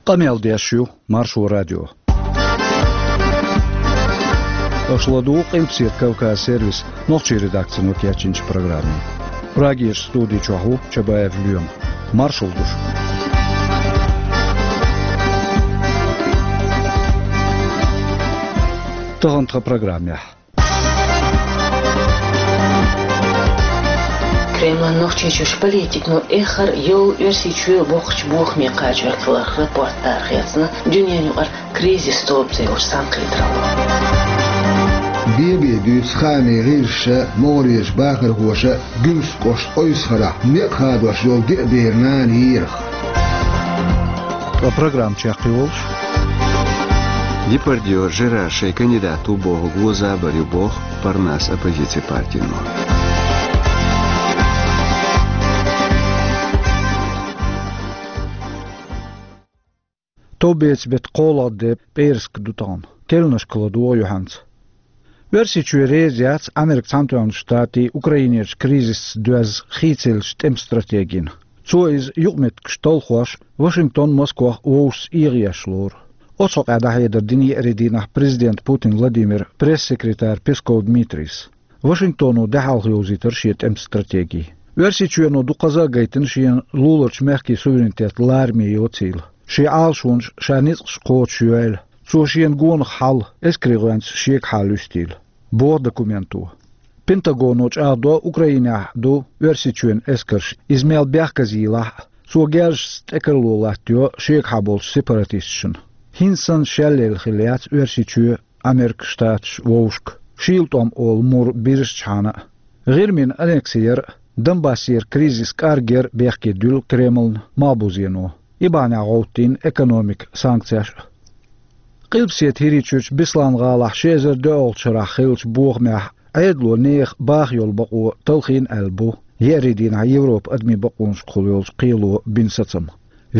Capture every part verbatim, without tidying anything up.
Къамел деш ю Маршо радио. Аша ладугӀу Къилбаседа Кавказ сервисан нохчийн редакцино кечйинчу программе. Прагерчу студи чохь ву Чабаев Лоьма. Маршалла ду шуьга. Тахана тхан программехь. Кремлан Нохчийчуьрчу политикано эххар а йолу Оьрсийчоь боккхачу бохаме кхачорг хиларх рапорт арахецна дуьненан юкъара «Кризис» тобу цӀе йолчу цхьаьнакхетаралло. Бен-бен дуьйцу хаамийн гӀирсаша, могӀарерчу бахархоша Гуьмсан кӀоштан Ойсхарахь некъ хадош йолу деа бер нана йийрах. Ткъа программа чекхйолуш: Депардье Жерар шайн кандидат ву бохург вон забар ю боху Парнас оппозицин партино. Товбецан беттан кхоалгӀа де, пӀераска ду тахана. Керланашка ладогӀа юьхьанца. Оьрсийчоь реза яц Америкин Цхьаьнатоьхначу Штатийн Украинерчу кризисца доьзна хийцаеллачу тӀеман стратегина. Цо иза юкъаметтигаш талхош, Вашингтон Москвах вовшашца эгӀаеш лору. Оцу хьокъехь дӀахьедар дина еарин дийнахь президента Путин Владимира пресс-секретарь Песков Дмитрийс. Вашингтоно де хьалха йовзийтира шен тӀеман стратеги. Оьрсийчоьно дуккхаза а гайтина шена луларчу мехкийн суверенитет лараме йоцийла. Шен Ӏалашонаш, ша ницкъаш кхочушйойла. Цо шена гонах хьал эскарийн гӀоьнца шегахьа луьстийла, боху документо. Пентагоно чӀагӀдо Украинехь ду Оьрсийчоьнан эскарш, иза мел бехказйийлахь а, цо герзашца тӀекарло латтайо шегахьа болчу сепаратисташна. ХӀинца санна шелъелла хилла яц Оьрсийчоь Америкин Штаташ вовшашка, шийла тӀом олу мур бирзичхьана а. ГӀирмина аннекси яр а, Донбассера кризис кӀаргъяр а бехке дуьллу Кремлна малхбузено. И бахьанехь гӀовттийна экономика санкцеш а. Къилбаседа ХӀирийчуьрчу Беслан-гӀалахь ши эзар доьалгӀачу шарахь хиллачу бохамехь Ӏедало нехан баха йолу бакъо талхийна аьлла бу еарин дийнахь Европан адамийн бакъонашкахула йолчу кхело бина сацам.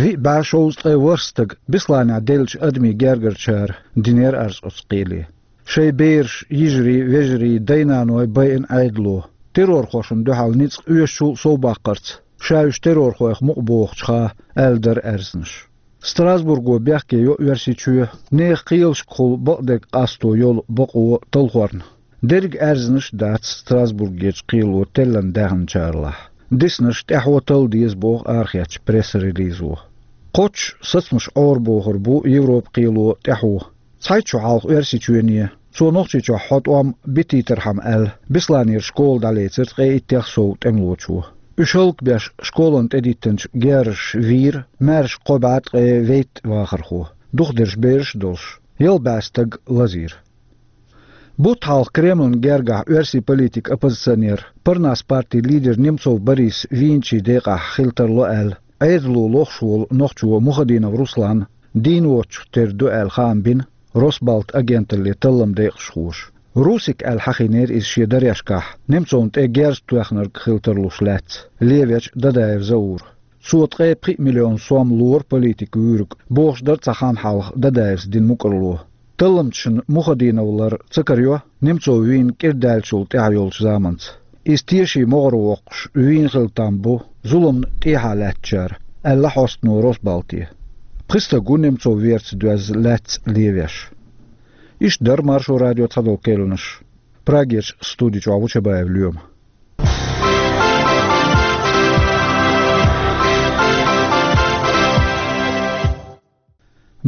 Виъ бӀе шовзткъе ворхӀ стаг Бесланехь деллачу адамийн гергарчара динера арз оцу кхеле. Шайн бераш, йижарий, вежарий, дай-наной байина Ӏедало, террорхошна дуьхьал ницкъ оьшучул а совбаккхарца, ша уьш террорхойх мукъа бохучуха, аьлла дара аьрзнаш. Страсбурго бехке йо Оьрсийчоь нехан кхелашкахула бакъдерг къасто йолу бакъо талхорна. Дерриг аьрзнаш а дац Страсбургерчу кхело теллина даьхначарлахь. Диснарш тӀаьхьо талла деза боху арахецначу пресс-релизо. Кхоччуш сацамаш Ӏорабохур бу Европан кхело тӀаьхьо. Цхьайтта шо хьалха Оьрсийчоьне, цо Нохчийчохь хьо тӀом битийтархьама аьлла, Бесланера школа дӀалецира ткъе иттех сов тӀемалочо. Уьш хӀаллакбеш школана тӀедиттинчу герзаша вийра, маьрша кхо бӀе ткъе вейтта вахархо, духадерш бераш а долуш, ялх бӀе стаг лазийра. Бутт хьалха Кремлан гергахь оьрсийн политик, оппозиционер, Парнас партин лидер Немцов Борис вийначийн декъахь хила тарло аьлла, Ӏедало лохуш волу нохчо Мухадинов Руслан дийна воцчух тера ду аьлла хаам бина Росбалт агенталле талламан декъашхоша. Русик аьлла хьахийнера иза шен дарешкахь, Немцовна тӀе герз тоьхнарг хила тарлуш лаьцна, левечу Дадаев Заура. Цо ткъе пхиъ миллион сом лора политик вуьйриг, бохуш дара цхьа хан хьалха Дадаевс дина мукӀарло. Талламчашна Мухадинов лар ца карайо Немцов вийна кӀира даьллачул тӀаьхьа йолчу заманца. Иза тешийн могӀаре воккхуш вийна хила там бу зуламна тӀехьа лаьттачара, аьлла хьостано Росбалте. Пхи стаг ву Немцов верца доьзна лаьцна левеш. Иштта дара Маршо радион цхьадолу керланаш. Прагерчу студи чохь ву Чабаев Лоьма.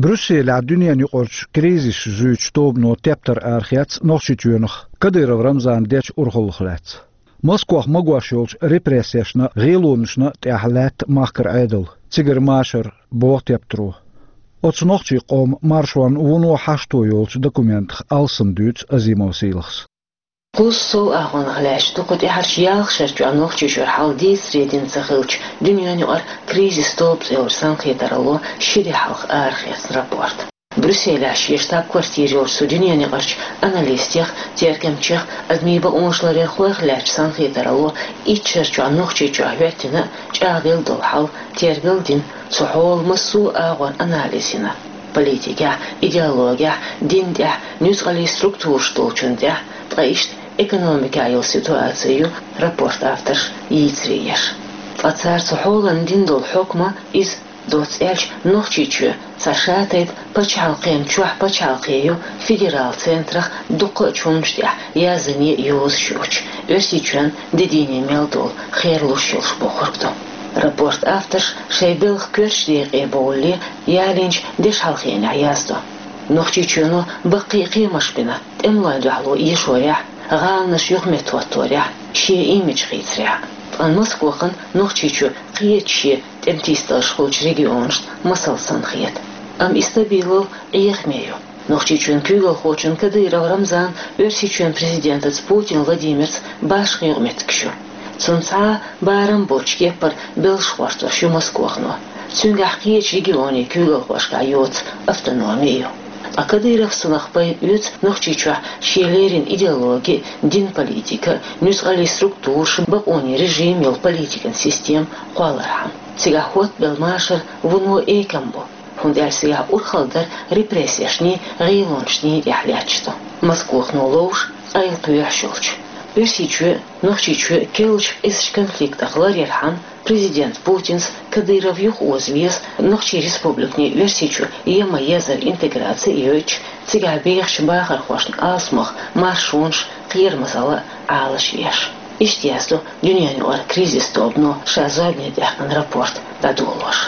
Брюсселехь дуьненан юкъарчу кризисаш зуьйчу тобано тептар арахецна Нохчийчоьнах Кадыров Рамзана дечу урхаллах лаьцна. Москвахь магош йолчу репрессешна, гӀелонашна тӀехь лаьтта махкара Ӏедал, цигара машар, боху тептаро. Оцу нохчийн къоман маршонан вуно хьашто йолчу документах алссам дуьйцу Азимов Сийлахьас. Кхузткъа сов агӀонах лаьтташ ду кху тӀаьхьарчу ялх шарчохь Нохчийчуьра хьал дийцаре дина ца хиллачу дуьненан юкъара «Кризис» тобу цӀе йолчу цхьаьнакхетаралло ши де хьалха арахецна рапорт. Брюсселехь шен штаб-квартира йолчу цу дуьненан юкъарчу аналистех, тергамчех, адамийн бакъонаш ларъярхойх лаьттачу цхьаьнакхетаралло итт шарчохь Нохчийчохь хӀоьттина а, чӀагӀделла долу хьал тергал а дина, цу хьолан массо а агӀор анализ йина. Политикехь, идеологехь, дин тӀехь, нуьцкъаллин структураш долчун тӀехь, ткъа иштта экономикехь йолу ситуаци ю рапортан авторш йийцаре еш. Ткъа цара цу хьолан дина долу хьукма иза Доцца аьлча, Нохчийчоь цхьа шатайпа пачхьалкхен чохь пачхьалкхе ю федерал центрах дуккха а чуннаш тӀехь язъяьй йозуш йоцуш, Оьрсийчоьнан де дийне мел долу херлуш йолуш бохург ду. Рапортан авторш шайн белхан коьртачу декъе бовлале ялийначу дешхьалхенехь яздо. Нохчийчоьно баккхий кхиамаш бина тӀемалойн дуьхьало эшорехь, гӀаланаш юхаметтахӀотторехь, шен имидж хийцарехь. Ткъа Москвахана Нохчийчоь кхечу шен тӀематийсадаларш хуьлучу регионашна масал санна хета. Амма и стабилал Ӏехаме ю. Нохчийчоьнан куьйгалхочун Кадыров Рамзанан Оьрсийчоьнан президентаца Путин Владимирца башха юкъаметтигаш ю. Цунна цхьа а барам боцчу кеппара белш гӀортош ю Москвахано. Цуьнгахь кхечу регионийн куьйгалхошкахь йоцу автономи ю. Ткъа Кадыровс цунах пайда оьцу Нохчийчохь шен леррина идеологи, динан политика, нуьцкъаллийн структураш, бакъонийн режим йолу политикан система кхоллархьама. Цигахь хӀоттабелла машар вуно экам бу, хӀунда аьлча цигахь урхалла дар репрессешний, гӀелонашний тӀехь лаьтташ ду, Москвахано ловш, къайлакхоьхьуш йолчу. Оьрсийчоь а, Нохчийчоь а керлачу къизачу конфликтах ларъярхьама, президент Путинс Кадыров юхаоза веза Нохчийн республиканийн Оьрсийчу ема езар интеграци а йойтуш, цигахь бехачу бахархошна алсамох маршонаш, кхерамазалла а Ӏалашъеш. Иштта яздо Дуьненаюкъара кризис тобано ша зорбане даьккхина рапорт дӀадолош.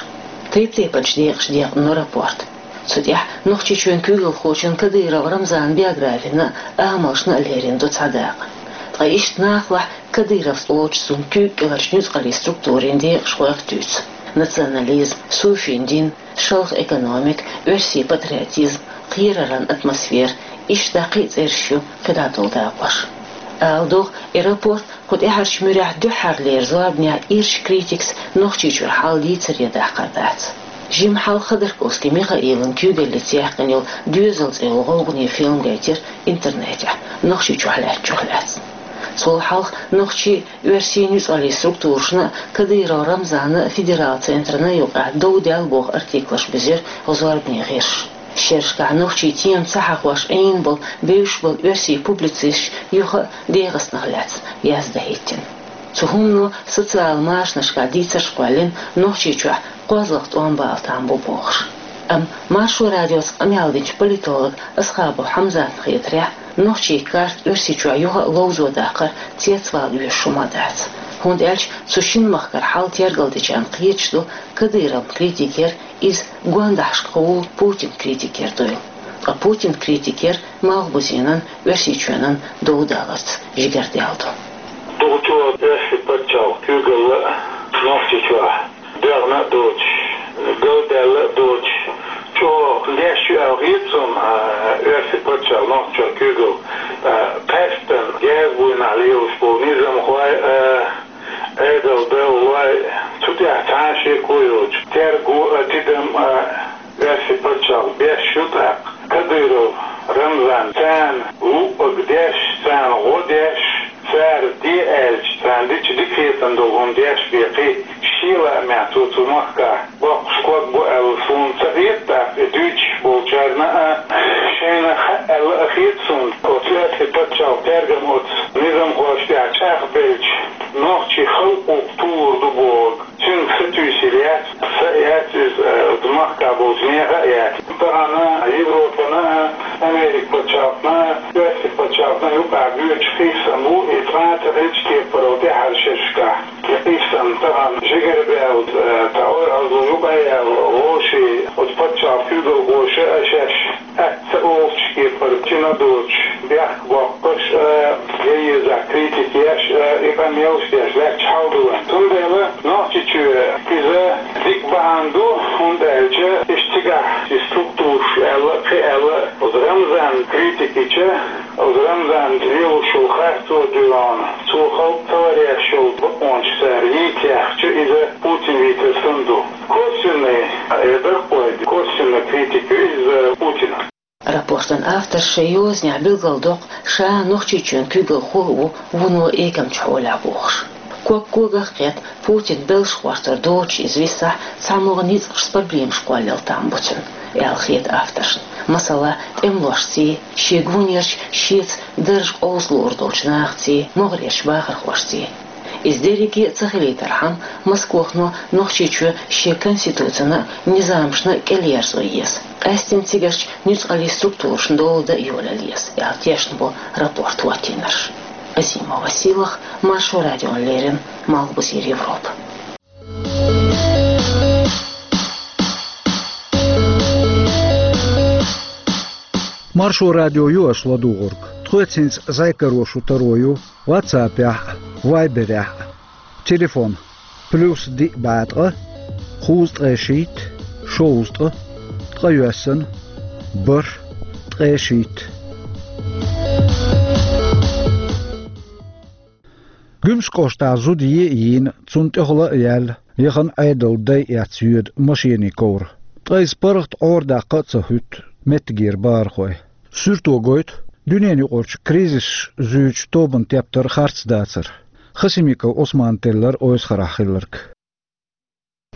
Тайп-тайпанчу декъашка декъна рапорт. Цу тӀехь Нохчийчоьнан куьйгалхочун Кадыров Рамзанан биографина а, амалшна а лерина ду цхьа дакъа. Ткъа иштта нахалахь Кадыровс олучу цуьнан куьйга кӀеларчу нуьцкъаллийн структурийн декъашхойх а туьйцу: национализм, суфийн дин, шалха экономика, оьрсийн патриотизм, кхераран атмосфера, иштта кхин а цӀераш ю кхидӀа долу дакъош. Ала догӀу, и рапорт кху тӀаьхьарчу муьрехь дуьххьарлера зорбанехь ирча критикаца Нохчийчуьра хьал дийцаре даккхар дац. Жимма хьалха Ходорковский Михаилан куьйгаллица яьккхина йолу «Доьзал» цӀе йолу гӀовгӀане фильм гайтира интернетехь, Нохчийчохь лаьттачух лаьцна. Цул хьалха нохчийн, оьрсийн нуьцкъаллийн структурашна а, Кадыров Рамзанан федерал центрана а юкъахь дов даьлла боху артиклаш бизира зорбане гӀирсаша. Шерашкахь нохчийн тема ца хьахош Ӏийна болу, бевзаш болу оьрсийн публицисташ юха а ДегӀастанах лаьцна яздан хӀиттина. Цу хӀумано социал машанашкахь дийцарш кхоьллина, Нохчийчохь кхозлагӀа тӀом бала там бу бохуш. Амма Маршо радиоца къамел динчу политолог Асхабов Хьамзатна хетарехь, нохчийн карта Оьрсийчохь юха а ловзо даккхар цецвала оьшуш хӀума дац. ХӀунда аьлча цу шина махкара хьал тергалдечарна кхеташ ду, Кадыровн критика яра иза гондахьашкахула Путинан критика яр дуйла. Ткъа Путинан критика яра Малхбузенан, Оьрсийчоьнан дов даларца жигардаьлла ду. Дукха чӀогӀа оьрсийн пачхьалкхан куьйгалла Нохчийчохь дегӀна а доцуш, галдаьлла а доцуш, чӀогӀа деш ю аьлла хета суна, а, оьрсийн пачхьалкх Нохчийчохь куьйгалла, а, къаьсттина герз буйнахь лелаш болу низамхой а, Ӏедалдалой, цу тӀехь цхьа а шеко йоцуш, терго а, тидам а оьрсийн пачхьалкх беш ю тӀаккха. Кадыров Рамзан царна луъург деш, царна гӀо деш, цара де аьлча, царна дича дика хетам долу хӀума деш бен кхин шен лаамехь цо цу махкахь боккхуш ког бу аьлла суна ца хета, тӀаккха и дуьйцуш болчарна а шайна хаьа аьлла а хета суна. Оцу оьрсийн пачхьалкхан тергам оцу низамхошна тӀехь чӀагӀбелча, нохчийн халкъо тухур ду бохург цуьнга сатуьйсур яц, са а яц иза, э, оцу махкахь болчу нехан а яц. Тахана Европана а, Америкин пачхьалкхана а, оьрсийн пачхьалкхана а юкъахь боьдуш къийсам бу, и цкъа а ца хилча кепара тӀаьхьарчу шерашкахь. И къийсам тахана жигарабаьлла, э, тӀе ойъалло юкъа а яьлла, вовшийн оцу пачхьалкхан куьйгалхоша а шаьш атта ца олучу кепара, чина доцуш, бехк боккхуш а, я еза критика еш а, и къамелаш деш лаьтташ хьал ду вайн. Цундела Нохчийчоь иза дика бахьана ду, хӀунда аьлча иштта цигахь и структураш аьлла, кхин аьлла, оцу Рамзанан критика йича, оцу Рамзанан лелош йолу харцо а дуьйна, цо халкъ ца ларъеш йолу бакъонаш цара йийца яьхча, иза Путин вийцар санна ду. Косвенный, э, даккхой, косвенный критика ю иза Путина. Рапортан авторша шайн йозанехь билгалдоккху, ша Нохчийчоьнан куьйгалхо а ву вуно экамчу хьолехь бохуш. Ког когах кхетта, Путин белш гӀортор доцуш иза висахь, цхьамогӀа ницкъашца проблемаш кхоллал там бу цуьнан, аьлла хета авторшна. Масала, тӀемалошций, шен гонерчу шеца дарж къовсалур долчу нахаций, могӀарерчу бахархошций. Иза дерриге а ца хилийтархьама, Москвахо Нохчийчоь шен конституцина а, низамашна а кӀелъерзо еза. Къаьсттина цигарчу нуьцкъалчу структурашна дола дан а йолаялла еза, аьлла тешна бу рапорт хӀоттийнарш. Азимова Сийлаха, Маршо радиона леррина, Малхбузера Европа. Маршо радио ю аша ладугӀург. Тхоьца хӀинца зӀе каро шун таро ю WhatsApp-ехь а, Viber-ехь а. Телефон: плюс диъ бӀе ткъа, кхузткъе шийтта, шовзткъа, ткъе йоьссана, бархӀ, ткъе шийтта. Гуьмсан кӀоштахь зуда е а йийна, цунна тӀехула а яьлла, яхана Ӏедалан дай эцна йоьду машенийн ковра. Ткъа иза паргӀат Ӏорадаккха а ца хӀуьтту меттигера бахархой. Суьрто гойту дуьненаюкъарчу кризисаш зуьйчу тобанан тептар харц дацар. Хасимиков Ӏусмана теллира Ойсхарахь хилларг.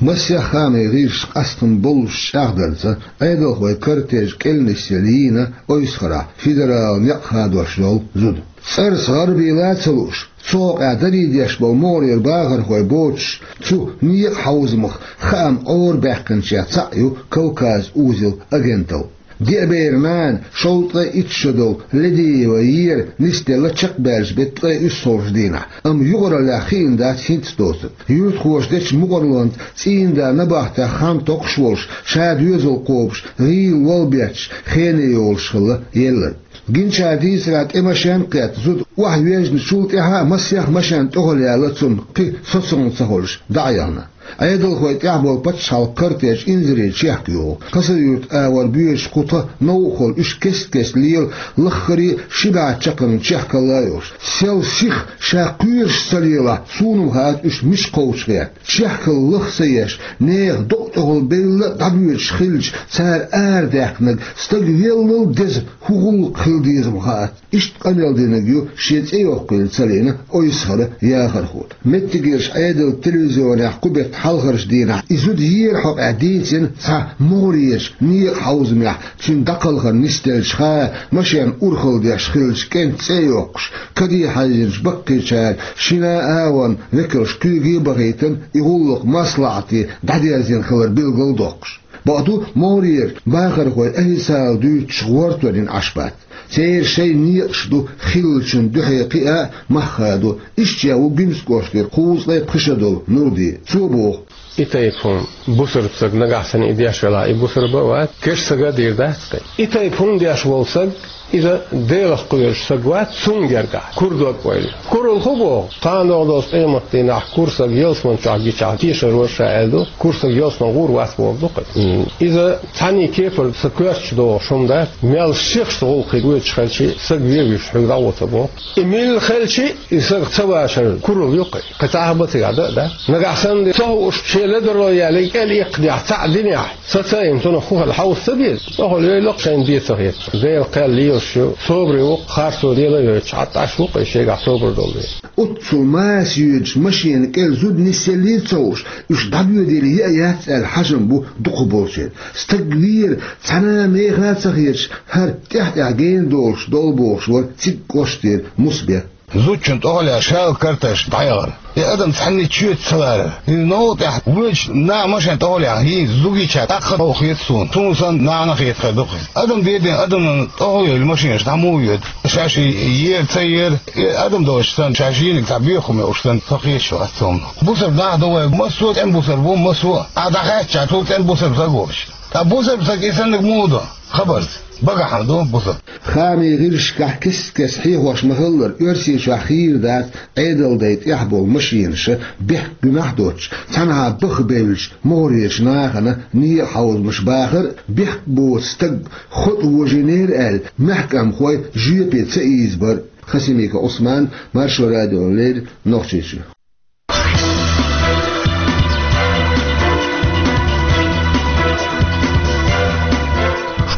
Масех хаамийн гӀирсаша къастам боллуш чӀагӀдарца, Ӏедалхойн кортеж кӀел нисъелла йийна Ойсхарахь федералан некъ хадош йолу зуда. ЦӀарца гӀарабийла а ца лууш, цу хьокъехь даре деш болу могӀарера бахархой боцуш, цу некъан хьовзамах хаам Ӏорабаьккхинчех цхьаъ ю Кавказ узел агенталла. Деа бер нана, шовзткъе итт шо долу Ледиева Вера нисделла чекхбаьллачу беттан ткъе уьссалгӀачу дийнахь, амма юкъараллех хиъна дац хӀинцца доцург. Юьртахоша дечу мукъарлонца цӀийнан да набахтех хан токхуш волуш, ша доьзал кхобуш, гӀийла вала бетташ, хене йолуш хилла елларг. Гинчара дийцарехь, тӀе машен а кхетта, зуда охьавежначул тӀаьхьа а масех машен тӀехула яьлла цунна, кхин соцалла ца хуьлуш, дӀа а яхна. Ӏедалхойн тӀехь болу пачхьалкхан кортеж инзаре чехка йогӀу. Хасавюрт агӀор боьдучу кху тхан новкъахула уьш кест-кеста лела, лаххара а ши бӀе чаккхарма чехкалла а йолуш. Сел сиха ша кхоьруш ца лелахь, суна-м хаьа уьш мича кхочуш гӀерта. Чехкалла лаха ца еш, нехан докъа тӀехула белла а дӀабоьдуш хилча, цара арадаьккхинарг стаг веллал деза хӀун гӀуллакх хила деза-м хаьа. Иштта къамел динарг ю шен цӀе йоккхийла ца лиъна Ойсхаран яхархо. Меттигерчу Ӏедалан телевизионехь кху беттан хьалхарчу дийнахь и зуда ера хьокъехь дийцина цхьа могӀарерчу некъан хьовзамехь цуьнан дӀакхалхар нисделча хана машен урхалла деш хиллачу кӀентан цӀе а йоккхуш, каде хьаьжначу баккхийчара шина а агӀонан векалш куьйге а бахийтина, и гӀуллакх маслаӀате дӀадерзийна хилар билгал а доккхуш. Бакъду, могӀарера бахархой официалан дуьйцучух гӀортор йина Ӏаш бац. Церан шайн некъаш ду хиллачун дуьхьа кхиа а, мах хадо. Иштта ву Гуьмсан кӀоштара кхузткъе пхи шо долу Нурди. Цо боху: И тайпа хӀума, бусалба стаг нагахь санна и деш велахь, и бусалба а вац, керста стага а дийр дац кхин. И тайпа хӀума деш волу стаг, иза Делах кхоьруш стаг вац, цунна гергахь кура дог ойла. Куралла хӀун боху? Кхана догӀу долчу къематдийнахь кура стаг ялсамани чохь гичахь, тешар вара ша аьлла ду, кура стаг ялсамани гӀур вац бохург ду кхин. Иза цхьаьнний кепара сан коьртачу догӀуш хӀума дац, мел сихха гӀуллакх гойтуш хилча, стаг вен вуьйш хьуьга дӀагӀо ца боху. И милла хилча, и стаг ца вашар куралла ю кхин. Кхин цхьа а бан цигахь дан а дац. Нагахь санна ца хууш, шен ледарло яьлла кӀел иккхинехь, цхьаъ динехь, сацийна цунах хӀун хилла хьовса ца беза? ТӀехула йойла-кх, шайна бен ца хеташ. Делан кхел лелаш ю, собаре ву-кх, харцо лела а йойтуш, хьатта Ӏаш ву-кх и шегахь собар долу вен. Оццул маса йоьдучу машенан кӀел зуда нисъеллий а ца хууш, уьш дӀабоьдийла е а яц аьлла хьажам бу дукхахболчеран. Стаг вийра, цхьана а меха а ца хеташ, хӀара тӀаьхь-тӀаьхьа гена долуш долу бохуш вара цига кӀоштара Мусбек. Зудчун тӀехула яьлла шала кортеж дӀаяхара. И адам цхьанне чоьца ца ларара. Иза новкъа тӀехь воьдучу наха машен тӀехула яьхна, хӀинца зугича тӀаккха а хета суна. Суна санна нахана а хета хир ду-кх иза. Адам бен-бен адамна тӀехула йолу машенаш дӀа муха йоьду? Шаьш ера ца ера, и адам долуш санна, шаьш йинарг цхьа боьха хӀума йолуш санна, со кхеташ вац цунах. Бусалба нах ду вай, массо а цӀена бусалба ву, массо а. Ахьа дӀахаьттича, цул цӀена бусалба стаг волуш. Ткъа бусалба стаг и саннарг муха до? Хабарца. Багахь хьан ду бусалба? Хаамийн гӀирсашкахь кест-кеста хьехош ма-хиллара, Оьрсийчохь хийра дац Ӏедалан дай тӀехь болу машенаш бехк гуьмахь а доцуш, цхьанхьа баха бевллачу могӀарерчу нахана, некъан хьовзамаша бахар а, бехк боцу стаг хотӀа вожийнера аьлла, маьхкамхой жоьпе ца ийзабар а. Хасимиков Ӏусман, Маршо радиона леррина, Нохчийчоь.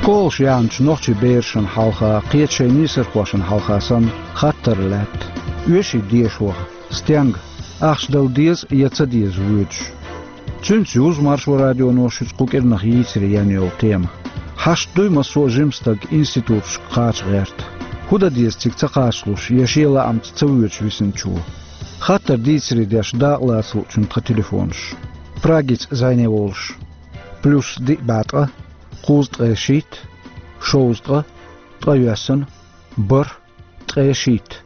Школаш яьхначу нохчийн берашна хьалха, кхечу шайн нийсархошна хьалха санна, хаттар лаьтта: оьший деша ваха, стенга, ахча дала деза я ца деза воьдуш? Цуьнца юзу Маршо радионо шуьца кху кӀирнах йийцаре ян йолу тема. Хьашт дуй массо а жима стаг институташка кхача гӀерта? ХӀун дан деза цига ца кхачалуш я шен лаамца ца воьдуш висинчо? Хаттар дийцаре деш дакъа лаца луучун тхан телефонаш. Прагица зӀене волуш: плюс диъ бӀе ткъа, кхузткъе шийтта, шовзткъа, ткъайоьсна, бархӀ, ткъе шийтта.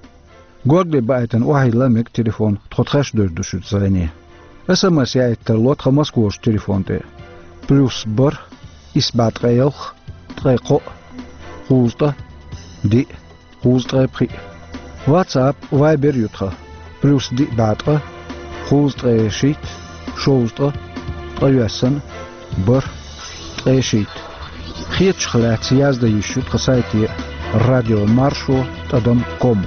Горгали баийтина охьайилла мега телефон, тхо тхаьш девр ду шуьца зӀене. СМС яийта тарло тхан Москварчу телефон тӀе: плюс бархӀ, исс бӀе ткъе ялх, ткъе кхоъ, кхузткъа, диъ, кхузткъе пхиъ. WhatsApp, Viber ю тхан: плюс диъ бӀе ткъа, кхузткъе шийтта, шовзткъа, ткъайоьсна, бархӀ, ткъе шийтта. Хетачух лаьцна яздан йиш ю тхан сайте: радио маршо тӀадам ком.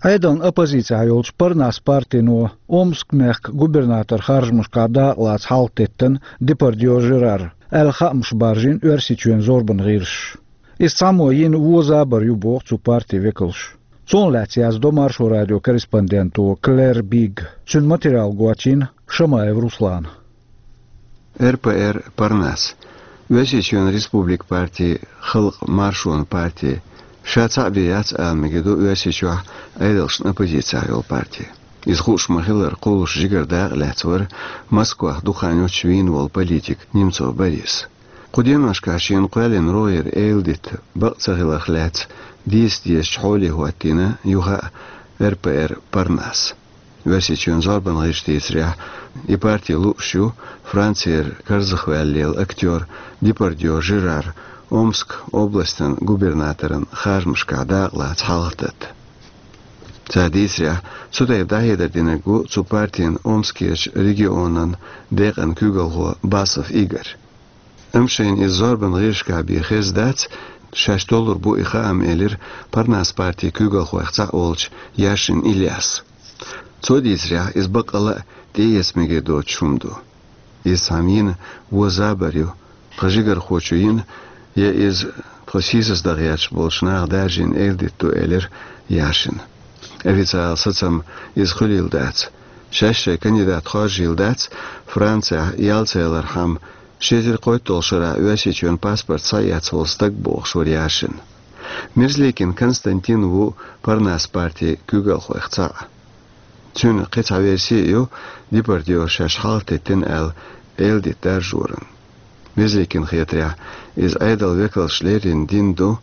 Ӏедална оппозицехь йолчу Парнас партино Омск-мехкан губернатор харжамашкахь дакъа лаца хьалхатеттина Депардье Жерар, аьлла хаамаш баржийна Оьрсийчоьнан зорбан гӀирсаша. Иза цхьаммо йина вон забар ю, боху цу партин векалша. Цунах лаьцна яздо Маршо радион корреспонденто Клэр Бигга. Цуьнан материал гочйина Шамаев Руслана. РПР Парнас. Оьрсийчоьнан республикан парти, халкъан маршонан парти, ша цхьаъ бен яц ала мегар ду Оьрсийчохь Ӏедалшна оппозицехь йолу парти. Иза хууш ма-хиллара, кхуллуш жигара дакъа лаьцна вара Москвахь дукха хан йоццуш вийна волу политик Немцов Борис. Кху деношкахь шена кхоьллина рогӀера эладита бакъ ца хиларх лаьцна дийца дезачу хьоле хӀоттийна юха а РПР Парнас. Оьрсийчоьнан зорбан гӀирсаша дийцарехь, и парти лууш ю Францера карзахваьлла актёр Депардье Жерар Омск областан губернаторан харжамашкахь дакъа лаца хьалхататта. Цара дийцарехь, цу тайпа дӀахьедар динарг ву цу партин Омскерчу регионан декъан куьйгалхо Басов Игорь. Амма шайна иза зорбан гӀирсашкахь бен хезна дац, шаьш толлур бу и хаам, элира Парнас партин куьйгалхойх цхьаъ волчу Яшин Ильяс. Цо дийцарехь, иза баккъалла а тӀеэца мегар доцуш хӀума ду. Иза цхьамма йина вон забар ю, тхан жигархочо йина, я иза тхо сийсаздан гӀерташ болчу наха даржийна эладита ду, элира Яшина. Официалан сацам иза хуьлийла дац. Шаьш шайн кандидат хоржийла дац, Францехь ял ца ялархьама, ши эзар кхойтталгӀа шарахь Оьрсийчоьнан паспорт схьаэцна волу стаг, бохуш вара Яшин. Мерзликин Константин ву Парнас партин куьйгалхойх цхьаъ. Цуьнан кхин цхьа верси а ю Депардье шаьш хьалхатеттина аьлла эладита даржоран. Мерзликина хетарехь, иза Ӏедалан векалша леррина дина ду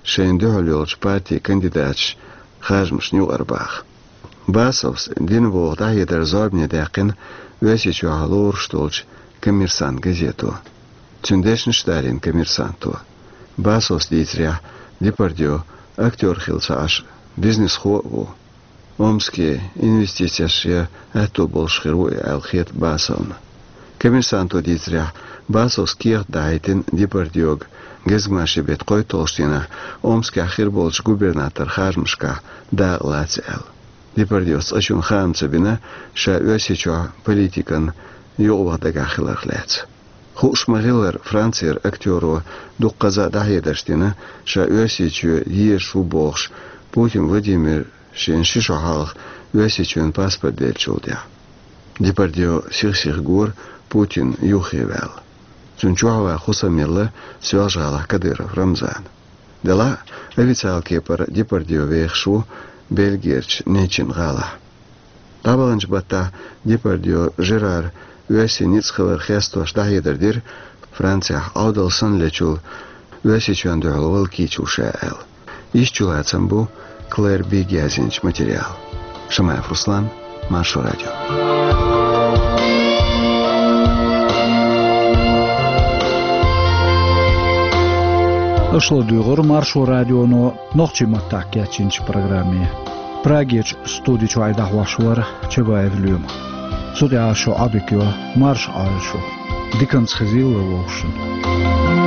шайна дуьхьал йолчу партин кандидаташ харжамашна юкъара баха. Басовс дина боху дӀахьедар зорбане даьккхина Оьрсийчохь лоруш долчу «Коммерсант» газето. Цуьнан дешнаш а далийна «Коммерсанто». Басовс дийцарехь, Депардье актёр хилла ца Ӏаш, бизнесхо а ву. Омске инвестицеш ян аьтто болуш хир ву и аьлла хета Басовна. «Коммерсанто» дийцарехь, Басовс кехат дахьийтина Депардьега гезгмашин беттан кхойтталгӀачу дийнахь Омскехь хир болчу губернаторан харжамашкахь дакъа лаца аьлла. Депардьес цкъачунна хаам ца бина, ша Оьрсийчохь политикан юкъаваха дагахь хиларх лаьцна. Хууш ма-хиллара, Францера актёро дуккхаза а дӀахьедарш дина, ша Оьрсийчоь езаш ву бохуш, Путин Владимир шена ши шо хьалха Оьрсийчоьнан паспорт деллачул тӀаьхьа. Депардье сих-сиха гора Путин юххе ваьлла. Цунна чохь ван хӀусамелла Соьлжа-ГӀалахь Кадыров Рамзана. Делахь а, официалан кепара Депардье вехаш ву Бельгерчу Нечин-ГӀалахь. ДӀабаханчу баттахь Депардье Жерар оьрсийн ницкъ хилар хестош дӀахьедар дира, Францехь Ӏовдал санна лечул Оьрсийчоьнна дуьхьал вала кийча ву ша аьлла. Иштта чулацам бу Клэр Бигга язйинчу материалан. Шамаев Руслан, Маршо радио. Аша ладуьйгӀура Маршо радионо нохчийн маттахь кечйинчу программе. Прагерчу студи чуьра дӀахьош вара Чабаев Лоьма. Цу тӀехь шун Ӏодика йо, марша Ӏойла шу. Диканца хезийла вовшашна.